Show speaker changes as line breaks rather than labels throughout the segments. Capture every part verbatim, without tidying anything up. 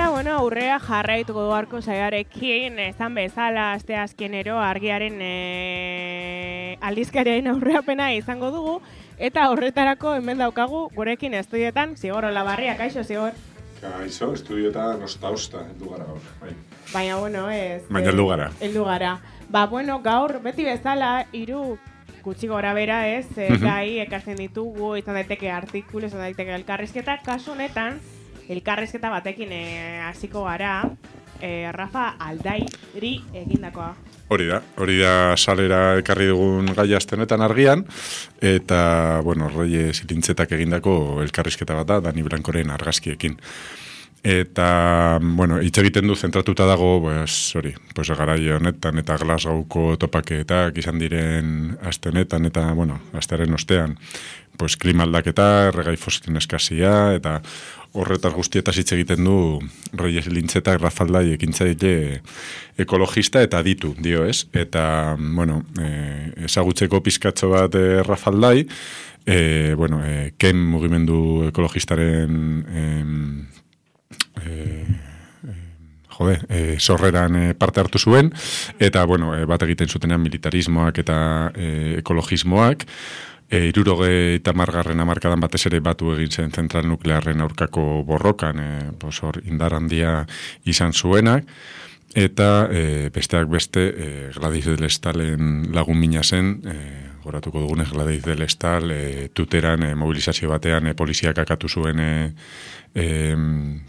Eta, bueno, aurrea jarraituko duarko zaiarekin, esan bezala, aste azkenero argiaren e, aldizkariaren aurreapena izango dugu, eta horretarako hemen daukagu gurekin estudietan, Zigor Olabarria, kaixo, Zigor?
Kaixo, estudietan osta-osta, heldu gara gaur. Bai.
Baina, bueno, ez...
Baina heldu gara.
Heldu gara. Ba, bueno, gaur, beti bezala, hiru gutxi gora bera ez, e, gai ekartzen ditugu, izan daiteke artikulu, izan daiteke elkarrizketa, kasu honetan, elkarrizketa batekin hasiko gara, e, Rafa Aldairi egindakoa.
Hori da, hori da salera ekarri dugun gai aste honetan argian, eta, bueno, Reyes Ilintzetak egindako elkarrizketa bat da, Dani Blancoren argazkiekin. Eta, bueno, hitz egiten du zentratuta dago, pues, hori, pues, garai honetan eta Glasgowko topaketak izan diren aste honetan eta, bueno, astearen ostean, pues, klima aldaketa, erregai fosilien eskasia, eta horretaz guztietaz hitz egiten du Reyes Ilintzetak Rafa Aldai ekintzaile ekologista eta aditu, dio ez? Eta, bueno, eh, ezagutzeko pizkatxo bat eh, Rafa Aldai, eh, bueno, eh, Ken mugimendu ekologistaren... Eh, Eh, eh, jode, eh, sorreran eh, parte hartu zuen, eta, bueno, eh, bat egiten zutenean militarismoak eta eh, ekologismoak, eh, iruroge eta margarren amarkadan batez ere batu egin zen zentral nuklearren aurkako borrokan, eh, pues, hor indar handia izan zuenak, eta eh, besteak beste eh, Gladys del Estalen lagun mina zen, eh, goratuko dugunez Gladys del Estal, eh, tuteran eh, mobilizazio batean eh, poliziak akatu zuen eh, Eh,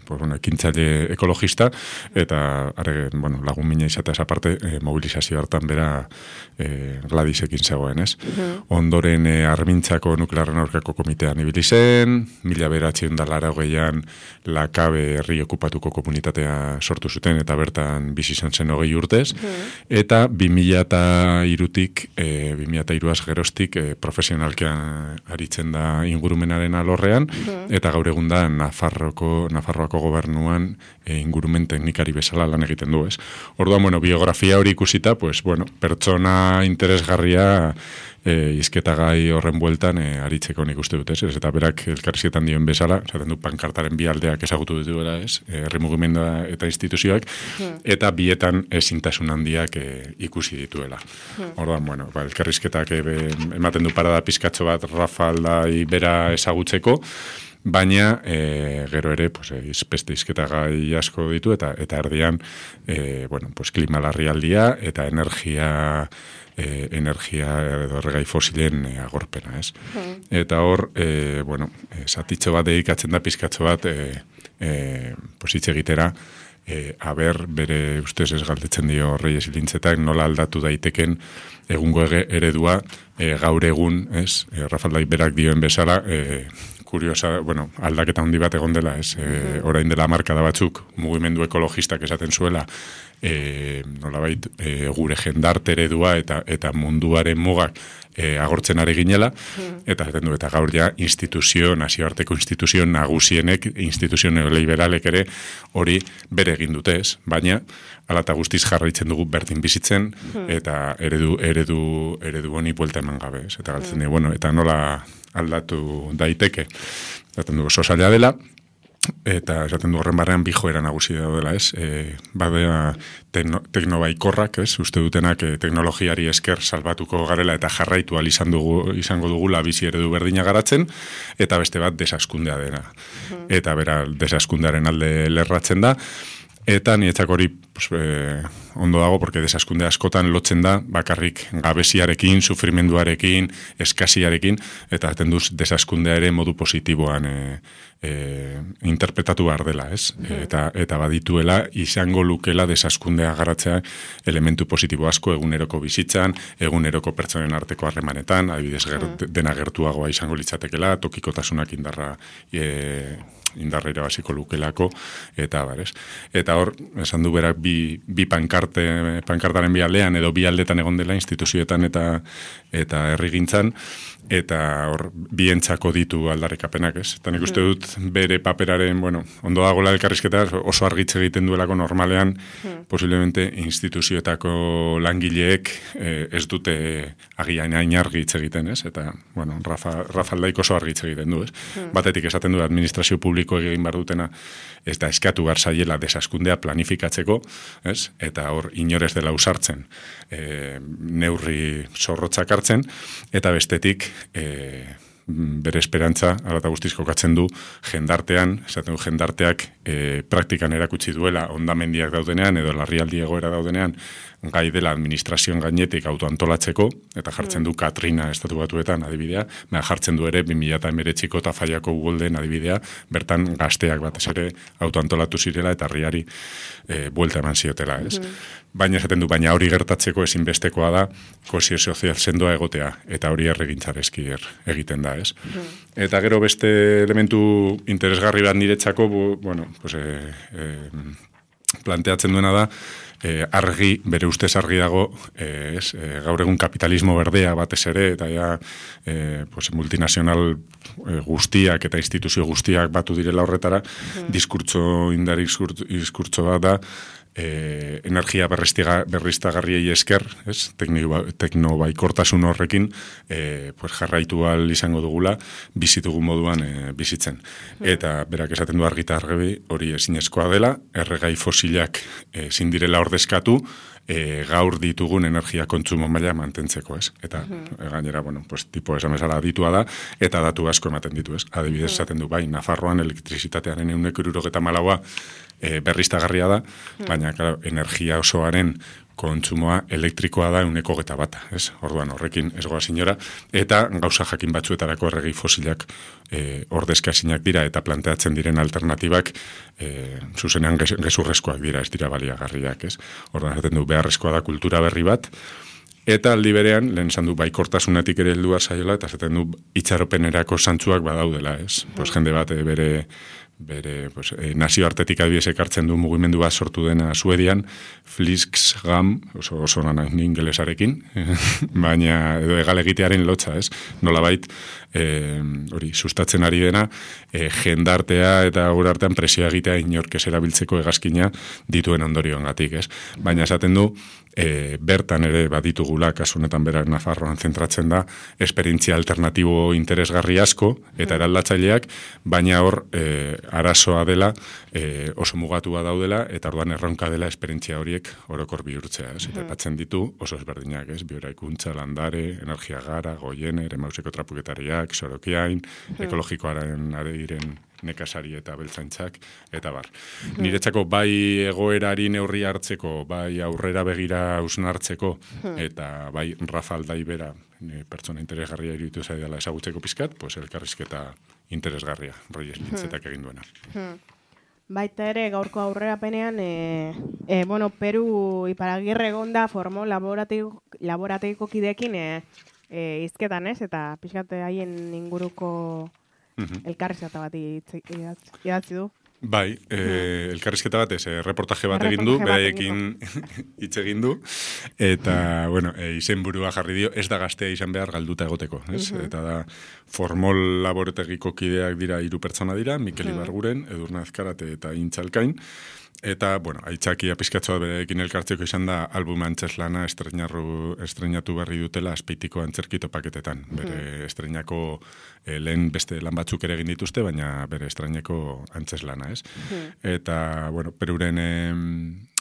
pues, bueno, ekintzaile ekologista, eta are, bueno, lagun mina izateaz aparte eh, mobilizazio hartan bera eh, Gladysekin zegoen, ez? Uh-huh. Ondoren eh, Armintzako nuklearren aurkako komitean ibili zen, mila bederatziehun eta laurogeian Lakabe herri okupatuko komunitatea sortu zuten, eta bertan bizi izan zen hogei urtez, uh-huh. eta bi mila hirutik, eh, bi mila hiruaz geroztik eh, profesionalkean aritzen da ingurumenaren alorrean, uh-huh. eta gaur egun da Nafar Nafarroako, Nafarroako gobernuan e, ingurumen teknikari bezala lan egiten du, ez? Orduan, bueno, biografia hori ikusita, pues, bueno, pertsona interesgarria e, izketagai horren bueltan e, aritzeko nik uste dut, ez? Eta berak elkarrizketan dioen bezala, esaten du pankartaren bi aldeak ezagutu dituela, ez? Herri mugimendua eta instituzioak, hmm. eta bietan ezintasun handiak e, ikusi dituela. Hmm. Orduan, bueno, ba, elkarrizketak e, ematen du parada pizkatxo bat Rafa Aldai bera ezagutzeko, baina e, gero ere pues, beste izketagai asko ditu eta eta erdian e, bueno, pues, klima larrialdia eta energia e, energia edo erregai fosilen e, agorpena, ez? Hmm. Eta hor, e, bueno, zatitxo bat dedikatzen da pizkatxo bat e, e, pues, hitz egitera, e, aber bere ustez ez galdetzen dio Reyes Ilintzetak nola aldatu daiteken egungo eredua e, gaur egun, ez? E, Rafa Aldai berak dioen bezala, e, kuriosa, bueno, aldaketa handi bat egon dela, ez, e, orain dela markada batzuk, mugimendu ekologistak esaten zuela, e, nolabait, e, gure jendarte eredua eta eta munduaren mugak e, agortzen ari ginela, eta esaten du, eta gaur ja instituzio, nazioarteko instituzio nagusienek, instituzio neoliberalek ere hori bere egin dute, ez, baina hala eta guztiz jarraitzen dugu berdin bizitzen, eta eredu, eredu, eredu honi buelta eman gabe, ez, eta galtzen dugu, bueno, eta nola aldatu daiteke. Esaten du oso zaila dela, eta esaten du horren barrean bi joera nagusi daudela, ez? E, badea tekno, teknobaikorrak, ez? Uste dutenak e, teknologiari esker salbatuko garela eta jarraitu ahal izan dugu, izango dugula bizi eredu berdina garatzen, eta beste bat desaskundea dena. Uh-huh. Eta bera desaskundearen alde lerratzen da, eta niretzak hori pues, eh, ondo dago, porque desaskunde askotan lotzen da bakarrik gabeziarekin, sufrimenduarekin, eskasiarekin, eta atenduz desaskundea ere modu positiboan e, e, interpretatu behar dela, ez? Mm. Eta, eta badituela, izango lukela desaskundea garatzea elementu positibo asko eguneroko bizitzan, eguneroko pertsonen arteko harremanetan, adibidez ger, mm. dena gertuagoa izango litzatekela, tokikotasunak indarra e, indarrera basiko lukelako, eta barez. Eta hor, esan du berak bi, bi pankarte, pankartaren bi aldean, edo bi aldetan egon dela instituzioetan eta eta herrigintzan, eta hor bientzako ditu aldarrikapenak, ez? Eta nik uste dut bere paperaren, bueno, ondo dagoela elkarrizketa oso argitze egiten duelako normalean, hmm. posiblemente instituzioetako langileek eh, ez dute agian hain argitz egiten, ez? Eta, bueno, Rafa, Rafa Aldaik oso argitz egiten du, ez? Hmm. Batetik esaten du administrazio publiko egin behar dutena, ez da eskatu behar zaiela desaskundea planifikatzeko, ez? Eta hor inorez dela usartzen, eh, neurri zorrotzak hartzen, eta bestetik E, bere esperantza, ala eta guztiz kokatzen du, jendartean, esaten du jendarteak e, praktikan erakutsi duela ondamendiak daudenean, edo larrialdi egoera daudenean, gai dela administrazioen gainetik autoantolatzeko, eta jartzen du Katrina estatu batuetan adibidea, mea jartzen du ere bi mila hemeretziko eta Faiako Ugolden adibidea, bertan gazteak batez ere autoantolatu zirela eta herriari e, buelta eman ziotela, ez? Mm. Baina esaten du, baina hori gertatzeko ezinbestekoa da kohesio sozial sendoa egotea, eta hori erregintzareski egiten da, ez? Mm. Eta gero beste elementu interesgarri bat niretzako, bu, bueno, pues, e, e, planteatzen duena da, E, argi, bere ustez argi dago, e, es, e, gaur egun kapitalismo berdea batez ere, eta ja e, pues, multinazional e, guztiak eta instituzio guztiak batu direla horretara, mm. diskurtso, indar diskurtso bat da, e, energia berriztagarriei esker, ez? Teknobaikortasun horrekin e, pues, jarraitu ahal izango dugula, bizitugu moduan e, bizitzen. Mm. Eta berak esaten du argita argi hori ezinezkoa dela, erregai fosilak ezin direla ordezkatu, e, gaur ditugun energia kontsumo maila mantentzeko, ez? Eta uh-huh. gainera, bueno, pues, tipo esan bezala ditua da, eta datu asko ematen ditu, ez? Adibidez esaten du, bai, Nafarroan elektrizitatearen ehuneko hirurogeta hamalaua e, berriztagarria da, uh-huh. baina, claro, energia osoaren kontsumoa elektrikoa da ehuneko hogeita bata, ez? Orduan horrekin ez goaz inora, eta gauza jakin batzuetarako erregi fosilak e, ordezka ezinak dira eta planteatzen diren alternatibak e, zuzenean gezurrezkoak dira, ez dira baliagarriak, ez? Orduan esaten du beharrezkoa da kultura berri bat, eta aldi berean, lehen esan du baikortasunetik ere heldu zaiola, eta esaten du itxaropenerako zantzuak badaudela, ez? Pues jende bat bere bere pues, eh, nazioartetik adibidez ekartzen du mugimendu bat sortu dena Suedian, Flixgam, oso, oso nanan ingelesarekin, baina edo egalegitearen lotza, ez? Nolabait, eh, hori, sustatzen ari dena, eh, jendartea eta gure artean presioa egitea inorkez erabiltzeko hegazkina dituen ondorioengatik, ez? Baina esaten du, E, bertan ere baditugula, kasu honetan berak Nafarroan zentratzen da, esperientzia alternatibo interesgarri asko, eta eraldatzaileak, baina hor e, arazoa dela, e, oso mugatua daudela, eta orduan erronka dela esperientzia horiek orokor bihurtzea, ez? Eta batzen ditu oso ezberdinak, ez? Bioeraikuntza, landare, energia gara, goiener, emauseko trapuketariak, sorokiain, ekologikoaren areiren nekasari eta beltzaintzak, eta bar. Hmm. Niretzako bai egoerari neurri hartzeko, bai aurrera begira hausnartzeko, hmm. eta bai Rafa Aldai bera pertsona interesgarria iruditu zaidala ezagutzeko pizkat, pues elkarrizketa interesgarria, Reyes Lintzetak hmm. egin duena. Hmm.
Baita ere, gaurko aurrerapenean, e, e, bueno, Peru Iparagirre egonda formo laborategiko kideekin e, e, izketan, ez? Eta pixkate haien inguruko Uh-huh. elkarrizketa bat idatzi du.
Bai, eh, elkarrizketa bat, ez, reportaje bat egin du, beraiekin hitz egin du, eta, bueno, e, izenburua jarri dio, ez da gaztea izan behar galduta egoteko, ez? Uh-huh. Eta da, formol laborategiko kideak dira hiru pertsona dira, Mikel uh-huh. Ibarguren, Edurne Azkarate eta Intxalkain, eta, bueno, aitzakia pizkatzoa berekin elkartzeko izan da album antzeslana estreinatu berri dutela Azpeitiko antzerkito paketetan. Bere hmm. estreinako e, lehen beste lan batzuk ere egin dituzte, baina bere estreinako antzeslana, ez? Hmm. Eta, bueno, Peruren e,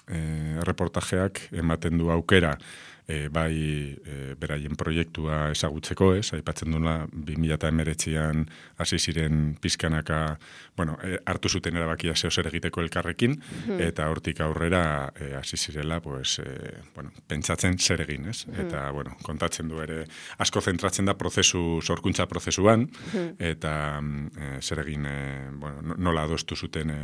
e, reportajeak ematen du aukera E, bai e, beraien proiektua ezagutzeko, ez? Aipatzen duela bi mila hemeretzian hasi ziren pizkanaka, bueno, e, hartu zuten erabakia zeo zer egiteko elkarrekin, hmm. eta hortik aurrera e, hasi zirela, pues, e, bueno, pentsatzen zer egin, ez? Hmm. Eta, bueno, kontatzen du ere, asko zentratzen da prozesu, sorkuntza prozesuan, hmm. eta e, zer egin, e, bueno, nola adostu zuten e,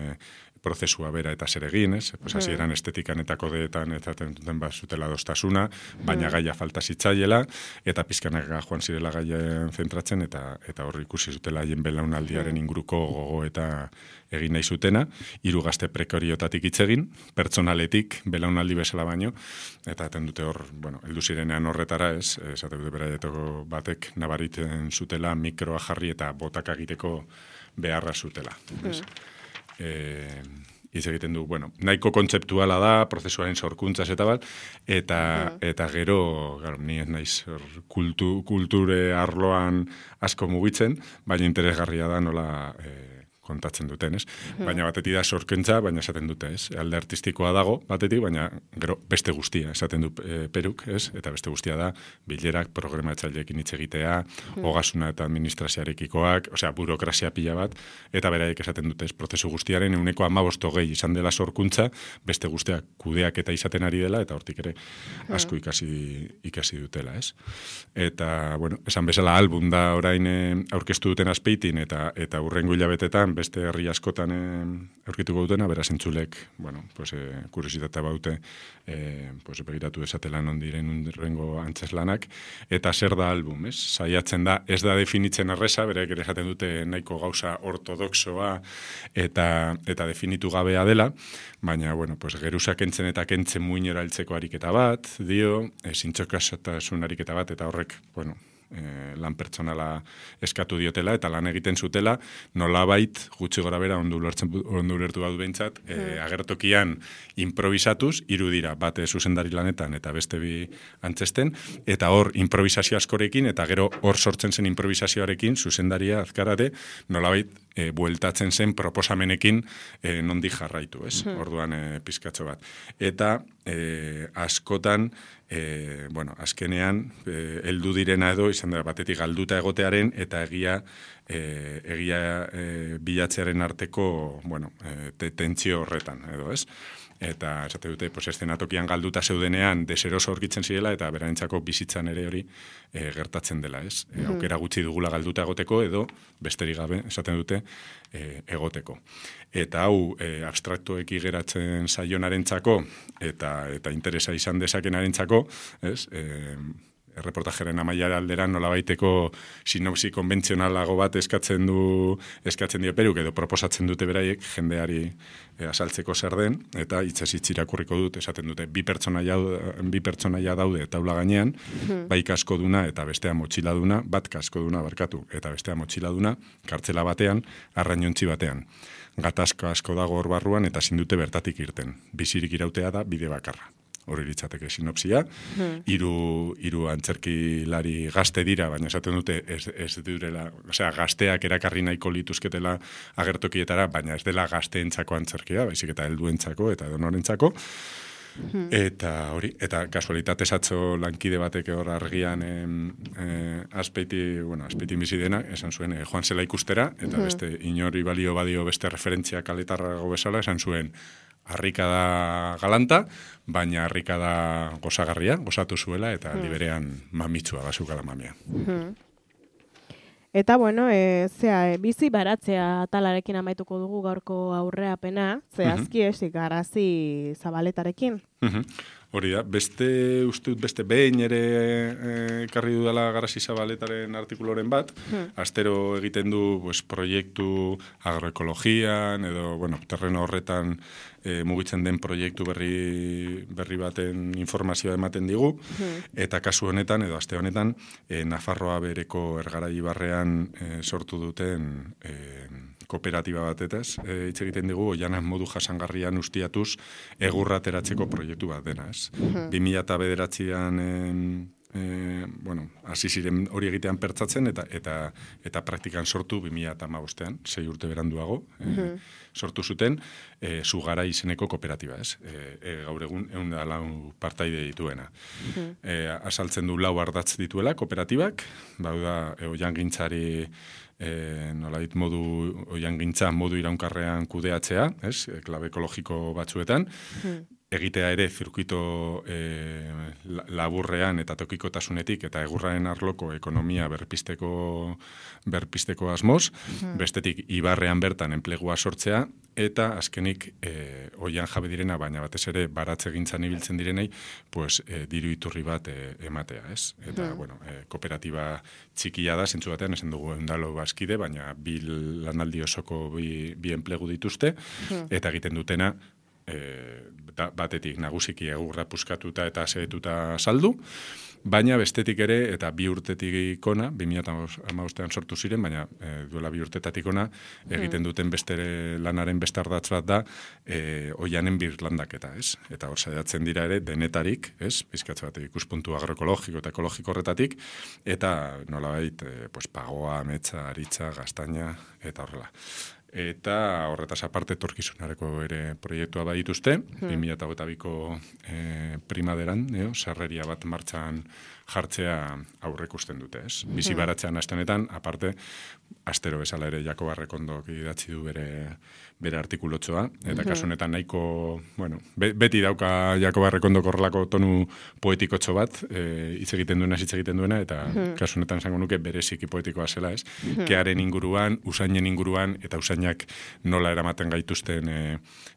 prozesua bera eta zer egin, ez? Pues hasi eran estetikan eta kodeetan eta tentuten bat zutela dostasuna, baina gaia falta zitzaiela, eta pizkanaka joan zirela gaien zentratzen, eta eta hor ikusi zutela haien belaunaldiaren inguruko gogo eta egin nahi zutena, hiru gazte prekariotatik hitz egin, pertsonaletik, belaunaldi bezala baino, eta eten dute hor, bueno, heldu zirenean horretara, ez, esate dute beraietoko batek nabariten zutela mikroa jarri eta botak egiteko beharra zutela. Ez? Eh, hitz egiten du, bueno, nahiko kontzeptuala da, prozesuaren sorkuntzaz eta bat, eta, eta gero, garo, ni ez naiz kultu, kulture arloan asko mugitzen, baina interesgarria da nola eh, kontatzen duten, ez? Baina batetik da sorkentza, baina esaten dute, ez? Alde artistikoa dago, batetik, baina gero beste guztia, esaten du e, peruk, ez? Eta beste guztia da, bilerak, programatzaileekin hitz egitea, ogasuna eta administrazioarekikoak, osea, burokrazia pila bat, eta beraiek esaten dute, ez? Prozesu guztiaren euneko hamabost hogei izan dela sorkuntza, beste guztiak kudeak eta izaten ari dela, eta hortik ere asko ikasi, ikasi dutela, ez? Eta, bueno, esan bezala album da orain eh, aurkeztu duten Azpeitin, eta eta hurrengo hilabetetan beste herri askotan eh, aurkituko dutena, beraz entzulek, bueno, pues, eh, kuriositatea baute, eh, pues, begiratu desatela non diren hurrengo antzeslanak, eta zer da album, ez? Saiatzen da, ez da definitzen erreza, bereek ere esaten dute nahiko gauza ortodoxoa eta eta definitu gabea dela, baina, bueno, pues, geruza kentzen eta kentzen muinera heltzeko ariketa bat, dio, e, zintxokasatasun ariketa bat, eta horrek, bueno, E, lan pertsonala eskatu diotela eta lan egiten zutela, nolabait gutxi gora bera ondo ulertu badu behintzat, e, agertokian improvisatuz, hiru dira, bate zuzendari lanetan eta beste bi antzesten, eta hor improvisazio askorekin, eta gero hor sortzen zen improvisazioarekin, zuzendaria azkarate, nolabait e, bueltatzen zen proposamenekin e, nondik jarraitu, ez? Orduan e, pizkatxo bat. Eta e, askotan, E, bueno, azkenean, e, heldu direna edo, izan da, batetik galduta egotearen, eta egia, e, egia e, bilatzearen arteko, bueno, e, tentsio horretan, edo, ez? Eta, esate dute, pues, eszenatokian galduta zeudenean, deseroso aurkitzen zirela, eta berarentzako bizitzan ere hori e, gertatzen dela, ez? E, aukera gutxi dugula galduta egoteko, edo, besterik gabe, esaten dute, e, egoteko. Eta hau, e, abstraktueki geratzen saionarentzako eta eta interesa izan dezakenarentzako, ez? E, erreportajeren amaiara alderan nolabaiteko sinopsi konbentzionalago bat eskatzen du eskatzen dio peruk, edo proposatzen dute beraiek jendeari e, azaltzeko zer den, eta hitzez hitz irakurriko dut, esaten dute bi pertsonaia bi pertsonaia daude taula gainean, bai kaskoduna eta bestea motxiladuna, bat kaskoduna barkatu eta bestea motxiladuna, kartzela batean, arrainontzi batean. Gatazka asko dago hor barruan eta ezin dute bertatik irten. Bizirik irautea da bide bakarra. Hori litzateke sinopsia. Hiru hiru antzerkilari gazte dira, baina esaten dute ez, ez direla, osea, gazteak erakarri nahiko lituzketela agertokietara, baina ez dela gazteentzako antzerkia, baizik eta helduentzako eta edonorentzako. Eta hori, eta kasualitatez atzo lankide batek hor argian eh, eh, Azpeiti, bueno, Azpeiti bizi dena, esan zuen, eh, joan zela ikustera, eta beste inori balio badio beste referentzia kaletarrago bezala, esan zuen, harrika da galanta, baina harrika da gozagarria, gozatu zuela, eta liberean mamitsua bazukala mamia.
Eta, bueno, e, zea, e, bizi baratzea talarekin amaituko dugu gaurko aurreapena, zehazki esik garazi zabaletarekin.
Hori da, beste, uste dut, beste behin ere ekarri dudala Garazi Zabaletaren artikuloren bat, astero egiten du pues, proiektu agroekologian, edo, bueno, terreno horretan e, mugitzen den proiektu berri, berri baten informazioa ematen digu, eta kasu honetan, edo aste honetan, e, Nafarroa bereko Ergarai barrean e, sortu duten e, kooperatiba batetaz, e, hitz egiten digu, oianan modu jasangarrian ustiatuz egurra ateratzeko proiektu bat dena, ez? bi mila bederatzian e, bueno, hasi ziren hori egitean pertsatzen, eta eta eta praktikan sortu bi mila hamabostean, sei urte beranduago, e, sortu zuten, e, Zugara izeneko kooperatiba, ez? E, e, gaur egun ehun eta lau partaide dituena. E, azaltzen du lau ardatz dituela kooperatibak, bauda, e, oiangintzari E, nolait modu oiangintza modu iraunkarrean kudeatzea, ez? E, klabe ekologiko batzuetan, egitea ere zirkuito e, laburrean eta tokikotasunetik eta egurraren arloko ekonomia berpisteko berpisteko asmoz, bestetik ibarrean bertan enplegua sortzea, eta azkenik e, oian jabe direna, baina batez ere baratze gintzan ibiltzen direnei, pues, e, diru iturri bat e, ematea, ez? Eta, hmm. bueno, e, kooperatiba txikia da, zentzu batean, esan dugu endalo bazkide, baina bi lanaldi osoko bi, bi enplegu dituzte, hmm. eta egiten dutena, e, batetik nagusiki egurra puskatuta eta asetuta saldu, baina bestetik ere, eta bi urtetik ikona, bi mila hamabostean sortu ziren, baina e, duela bi urtetatik ona, egiten duten beste lanaren beste ardatz bat da, e, oianen birlandaketa, ez? Eta hor saiatzen dira ere, denetarik, ez? Bizkatze bat ikuspuntu agroekologiko eta ekologiko horretatik, eta nolabait, e, pues, pagoa, ametsa, aritza, gaztaina, eta horrela. Eta horretaz aparte etorkizunareko ere proiektua badituzte, hmm. bi mila hogeita biko e, primaderan, e, sarreria bat martxan jartzea aurrekusten dute, ez? Bizi baratzean astenetan, aparte, astero bezala ere Jakoba Errekondok idatzi du bere, bere artikulotxoa, eta kasu honetan nahiko, bueno, be, beti dauka Jakoba Errekondok horrelako tonu poetikotxo bat, e, hitz egiten duena, hitz egiten duena, eta kasu honetan esango nuke bereziki poetikoa zela, ez? Kearen inguruan, usainen inguruan, eta usainak nola eramaten gaituzten e,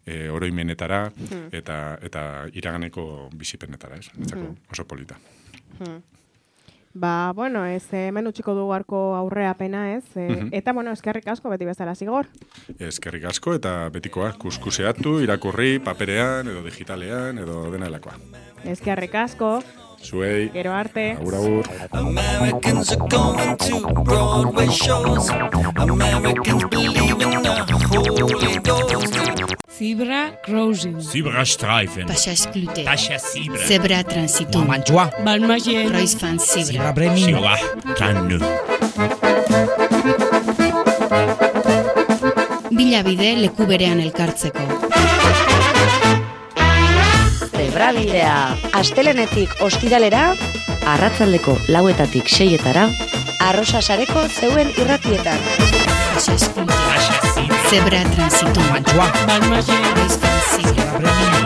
e, oroimenetara, eta, eta iraganeko bizipenetara, ez? Etzako oso polita.
Hmm. Ba, bueno, ez hemen utziko dugu arko aurreapena, ez? E, uh-huh. Eta, bueno, eskerrik asko beti bezala Zigor.
Eskerrik asko eta betikoa kuskuseatu, irakurri, paperean, edo digitalean, edo dena helakoa.
Eskerrik asko.
Zuei.
Gero arte.
Agur, agur.
Americans are going to Broadway shows. Americans believe in the Holy Ghost.
Zebra crossing.
Zebra streifen.
Passage clouté.
Pasha zebra.
Zebra transitum.
Mantua.
Balmagien. Kreuzfahrt zebra.
Zebra bremino. Zebra kannu.
Bilabide leku berean elkartzeko.
Zebrabidea, astelenetik ostiralera, arratsaldeko lauetatik seietara, arrosa sareko zeuen irratietan.
Passage clouté. Zebra transitum.
Mantua.
Balmagien. Kreuzfahrt zebra.
Zebra bremino.